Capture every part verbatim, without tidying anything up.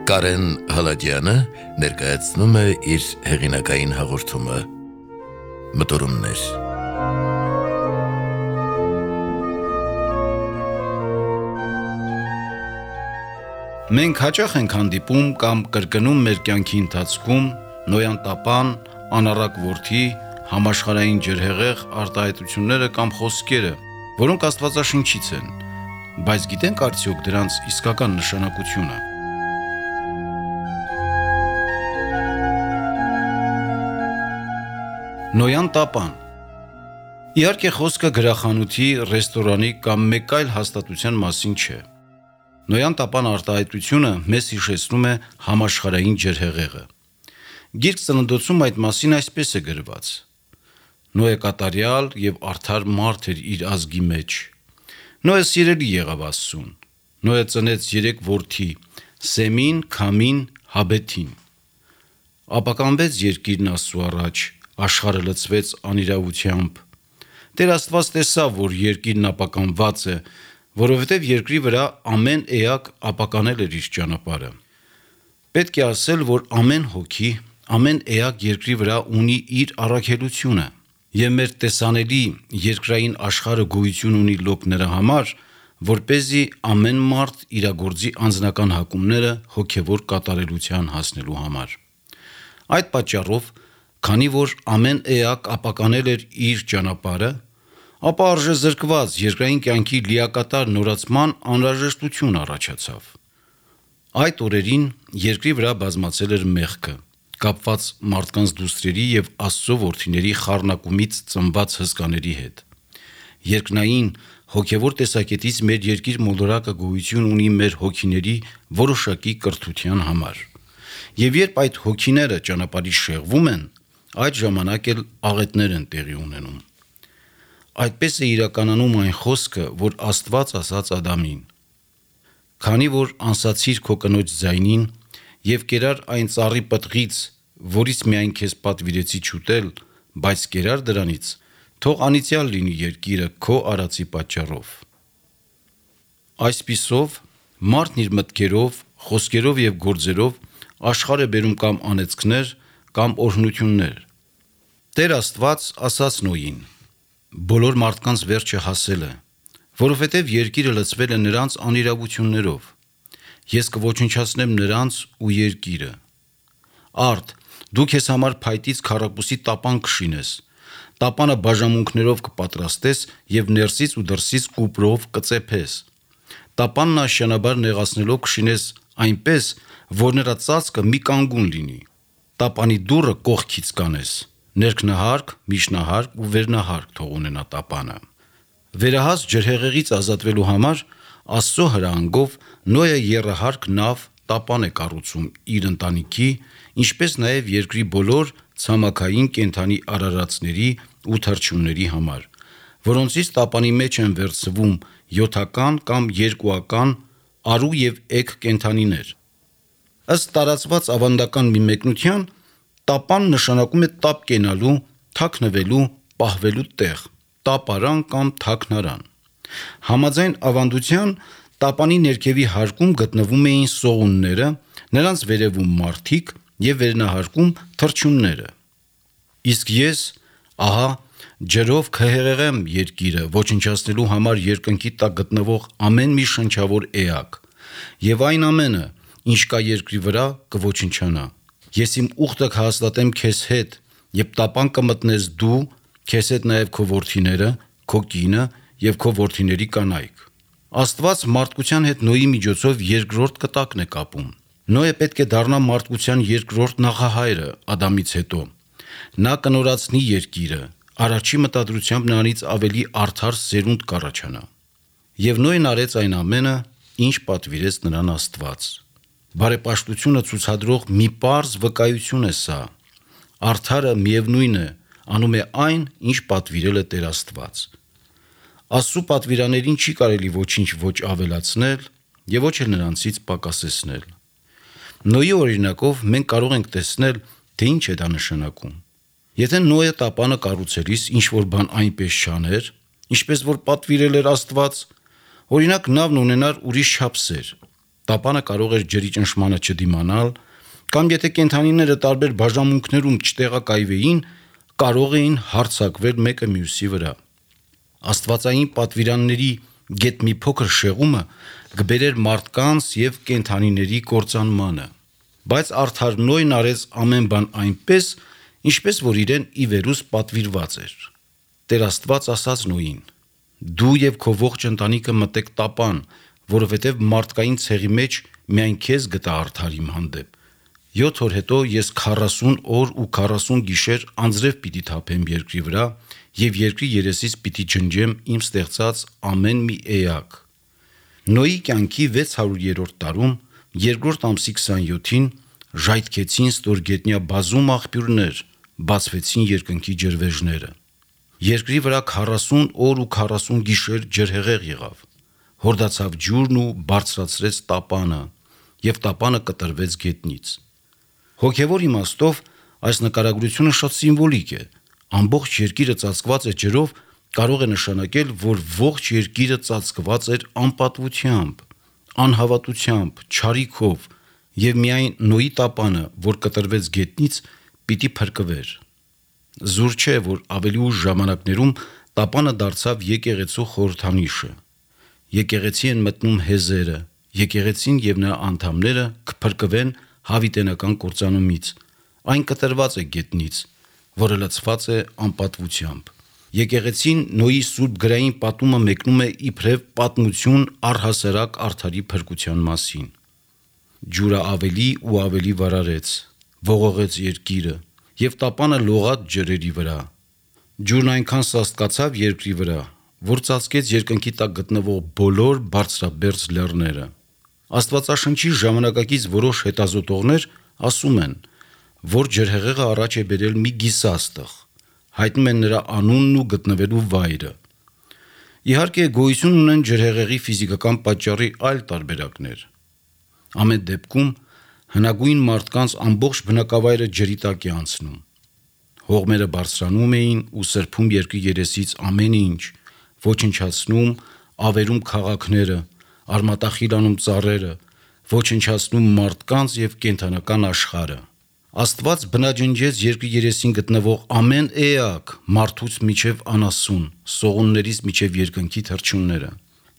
Կարեն Հալաջյանը ներկայացնում է իր հեղինակային հաղորդումը Մտորումներ։ Մենք հաճախ ենք հանդիպում կամ կրկնում մեր կյանքի ընթացքում նոյան տապան, անառակ որդի, համաշխարհային ջրհեղեղ արտահայտությունները կամ խոսքերը, որոնք աստվածաշնչից են, բայց գիտենք արդյոք դրանց իսկական նշանակությունը։ Նոյան տապան։ Իհարկե խոսքը գրախանութի, ռեստորանի կամ մեկ այլ հաստատության մասին չէ։ Նոյան տապան արտահայտությունը մեզ հիշեցնում է համաշխարհային ջրհեղեղը։ Գիրք Ծննդոցում այդ մասին այսպես է գրված. Նոյը կատարյալ եւ արդար մարդ էր իր ազգի մեջ։ Նոյը սիրելի եղավ Աստծուն։ Նոյը ծնեց երեք որդի՝ Սեմին, Քամին, Հաբեթին։ Ապականվեց երկիրն Աստծու առաջ, աշխարհը լցվեց անիրավությամբ։ Տեր Աստված տեսավ, որ երկիրն ապականված է, որովհետև երկրի վրա ամեն էակ ապականել էր իր ճանապարհը։ Պետք է ասել, որ ամեն հոգի, ամեն էակ երկրի վրա ունի իր առաքելությունը, եւ մեր տեսանելի երկրային աշխարհը գոյություն ունի լոկ նրա համար, որպեսզի ամեն մարդ իրագործի անձնական հակումները հոգևոր կատարելության հասնելու համար։ Այդ պատճառով, քանի որ ամեն էակ ապականել էր իր ճանապարհը, ապա արժեզրկված երկրային կյանքի լիակատար նորացման անհրաժեշտություն առաջացավ։ Այդ օրերին երկրի վրա բազմացել էր մեղքը, կապված մարդկանց դուստրերի եւ Աստծո որդիների խառնակումից ծնված հսկաների հետ։ Երկնային հոգևոր տեսակետից մեր երկիր մոլորակը գոյություն ունի մեր հոգիների որոշակի կրթության համար։ Եվ երբ այդ հոգիները ճանապարհի շեղվում են, այդ ժամանակ էլ աղետներ են տեղի ունենում։ Այդպես է իրականանում այն խոսքը, որ Աստված ասաց Ադամին. «Քանի որ անսացիր քո կնոջ ձայնին եւ կերար այն ծառի պտղից, որից միայն քեզ պատվիրեցի չուտել, բայց կերար դրանից, թող անիծյալ լինի երկիրը քո արածի պատճառով»։ Այսպիսով, մարդն իր մտքերով, խոսքերով եւ գործերով աշխարհ է բերում կամ անեծքներ, կամ օրհնություններ։ Տեր Աստված ասաց Նոյին. «Բոլոր մարդկանց վերջը հասել է, որովհետև երկիրը լցվել է նրանց անիրավություններով։ Ես կոչնչացնեմ նրանց ու երկիրը։ Արդ, դու քեզ համար փայտից քառակուսի տապան կշինես, տապանը բաժանմունքներով կպատրաստես եւ ներսից ու դրսից կուպրով կծեփես։ Տապանն աշյանաբար նեղացնելով կշինես այնպես, որ նրա ծածկը մի կանգուն լինի։ Տապանի դուռը կողքից կանես, ներքնահարկ, միջնահարկ ու վերնահարկ թող ունենա տապանը»։ Վերահաս ջրհեղեղից ազատվելու համար Աստծո հրահանգով Նոյը եռահարկ նավ տապան է կառուցում իր ընտանիքի, ինչպես նաև երկրի բոլոր ցամաքային կենդանի արարածների ու թռչունների համար, որոնցից տապանի մեջ են վերցվում յոթական կամ երկուական արու եւ էգ կենդանիներ։ Ըստ տարածված ավանդական մի մեկնության, տապան նշանակում է տապ կենալու, թաքնվելու, պահվելու տեղ, տապարան կամ թաքնարան։ Համաձայն ավանդության, տապանի ներքևի հարկում գտնվում էին սողունները, նրանց վերևում մարդիկ եւ վերնահարկում թռչունները։ Իսկ ես, ահա, ջրով կհեղեղեմ երկիրը, ոչնչացնելու համար երկնքի տակ գտնվող ամեն մի շնչավոր էակ, եւ այն ամենը, ինչ կա երկրի վրա, կոչնչանա։ Ես իմ ուխտը կհաստատեմ քեզ հետ, եւ տապան կմտնես դու, քեզ հետ նաեւ քո որդիները, քո կինը եւ քո որդիների կանայք։ Աստված մարդկության հետ Նոյի միջոցով երկրորդ կտակն է կապում։ Նոյը պետք է դառնա մարդկության երկրորդ նախահայրը Ադամից հետո։ Նա կնորացնի երկիրը, առաջի մտադրությամբ նրանից ավելի արդար սերունդ կառաջանա։ Եվ Նոյն արեց այն ամենը, ինչ պատվիրեց նրան Աստված։ Բարեպաշտությունը ցուցադրող մի պարզ վկայություն է սա։ Արդարը միևնույն է, անում է այն, ինչ պատվիրել է Տեր Աստված։ Աստծու պատվիրաներին չի կարելի ոչինչ ոչ ավելացնել եւ ոչ էլ նրանցից պակասեցնել։ Նոյի օրինակով մենք կարող ենք տեսնել, թե ինչ է դա նշանակում։ Եթե Նոյը տապանը կառուցելիս ինչ-որ բան այնպես չաներ, ինչպես որ պատվիրել էր Աստված, օրինակ նավն ունենար ուրիշ չափսեր, տապանը կարող էր ջրի ճնշմանը չդիմանալ, կամ եթե կենդանիները տարբեր բաժանմունքներում չտեղակայվեին, կարող էին հարձակվել մեկը մյուսի վրա։ Աստվածային պատվիրանների գետ մի փոքր շեղումը կբերեր մարդկանց եւ կենդանիների կործանմանը։ Բայց արդար Նոյն արեց ամեն բան այնպես, ինչպես որ իրեն ի վերուս պատվիրված էր։ Տեր Աստված ասաց Նոյին. «Դու եւ քո ողջ ընտանիքը մտեք տապան, որովհետեւ մարդկային ցեղի մեջ միայն քեզ գտա արդար իմ հանդեպ։ Յոթ օր հետո ես քառասուն օր ու քառասուն գիշեր անձրև պիտի թափեմ երկրի վրա եւ երկրի երեսից պիտի ջնջեմ իմ ստեղծած ամեն մի էակ»։ Նոյի կյանքի վեց հարյուրերորդ տարում, երկրորդ ամսի քսանյոթին ժայթքեցին ստորգետնյա բազում աղբյուրներ, բացվեցին երկնքի ջրվեժները։ Երկրի վրա քառասուն օր ու քառասուն գիշեր ջրհեղեղ եղավ։ Հորդացավ ջուրն ու բարձրացրեց տապանը, եւ տապանը կտրվեց գետնից։ Հոգևոր իմաստով այս նկարագրությունը շատ սիմվոլիկ է։ Ամբողջ երկիրը ծածկված է ջրով կարող է նշանակել, որ ողջ երկիրը ծածկված էր անպատվությամբ, անհավատությամբ, չարիքով, եւ միայն Նոյի տապանը, որ կտրվեց գետնից, պիտի փրկվեր։ Զուր չէ, որ ավելի ուշ ժամանակներում տապանը դարձավ եկեղեցու խորհրդանիշը։ Եկեղեցի են մտնում հեզերը, եկեղեցին եւ նրա անդամները կփրկվեն հավիտենական կործանումից։ Այն կտրված է գետնից, որը լցված է անպատվությամբ։ Եկեղեցին Նոյի սուրբ գրային պատումը մեկնում է իբրև պատմություն առհասարակ արդարի փրկության մասին։ Ջուրը ավելի ու ավելի վարարեց, ողողեց երկիրը, եւ տապանը լողաց ջրերի վրա։ Ջուրն այնքան սաստկացավ երկրի վրա, որ ծածկեց երկնքի տակ գտնվող բոլոր բարձրաբերձ լեռները։ Աստվածաշնչի ժամանակակից որոշ հետազոտողներ ասում են, որ ջրհեղեղը առաջ է բերել մի գիսաստղ, հայտնում են նրա անունն ու գտնվելու վայրը։ Իհարկե գոյություն ունեն ջրհեղեղի ֆիզիկական պատճառի այլ տարբերակներ։ Ամեն դեպքում հնագույն մարդկանց ամբողջ բնակավայրը ջրի տակ է անցնում։ Հողմերը բարձրանում էին ու սրբում երկրի երեսից ամեն ինչ, ոչնչացնում, ավերում քաղաքները, արմատախիլանում ծառերը, ոչնչացնում մարդկանց եւ կենդանական աշխարհը։ Աստված բնաջնջեց երկրի երեսին գտնվող ամեն էակ, մարդուց միջև անասուն, սողուններից միջև երկնքի թռչունները։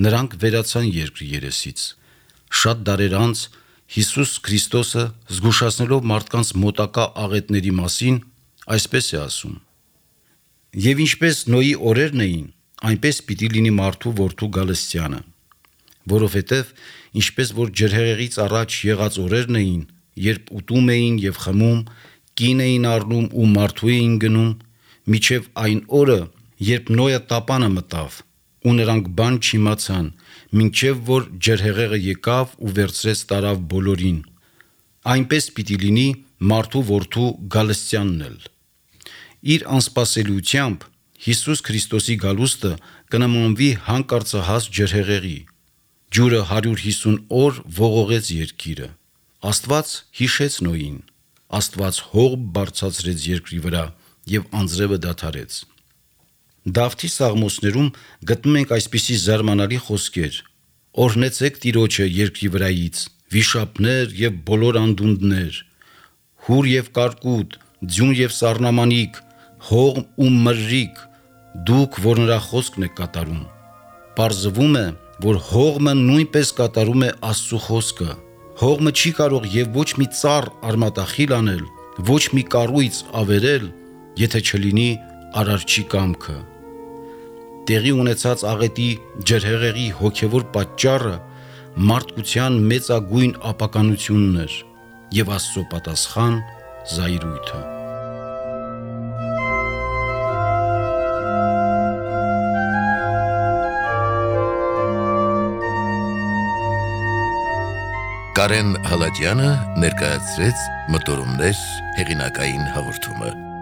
Նրանք վերացան երկրի երեսից։ Շատ դարեր անց Հիսուս Քրիստոսը, զգուշացնելով մարդկանց մոտակա աղետների մասին, այսպես է ասում. «Եվ ինչպես Նոյի օրերն էին, այնպես պիտի լինի մարդու որդու գալստյանը, որովհետև ինչպես որ ջրհեղեղից առաջ եղած օրերն էին, երբ ուտում էին եւ խմում, կին էին առնում ու մարդու էին գնում, միջև այն օրը, երբ Նոյը տապանը մտավ, ու նրանք բան չիմացան, մինչև որ ջրհեղեղը եկավ ու վերցրեց տարավ բոլորին, այնպես պիտի լինի մարդու որդու գալստյանն էլ»։ Իր անսպասելիությամբ Հիսուս Քրիստոսի գալուստը կնմանվի հանկարծահաս ջրհեղեղի։ Ջուրը հարյուր հիսուն օր ողողեց երկիրը։ Աստված հիշեց Նոյին։ Աստված հող բարձրացրեց երկրի վրա եւ անձրևը դադարեց։ Դավթի սաղմոսներում գտնում ենք այսպիսի զարմանալի խոսքեր. «Օրհնեցեք Տիրոջը երկրի վրայից, վիշապներ եւ բոլոր անդունդներ, հուր եւ կարկուտ, ձյուն եւ սառնամանիք, հողմ ու մրրիկ, դուք, որ նրա խոսքն եք կատարում»։ Պարզվում է, որ հողմը նույնպես կատարում է Աստծո խոսքը։ Հողմը չի կարող եւ ոչ մի ծառ արմատախիլ անել, ոչ մի կառույց ավերել, եթե չլինի Արարչի կամքը։ Տեղի ունեցած աղետի ջրհեղեղի հոգևոր պատճառը մարդկության մեծագույն ապականությունն էր եւ Աստծո պատասխան զայրույթը։ Կարեն Հալաջյանը ներկայացրեց Մտորումներ հեղինակային հաղորդումը։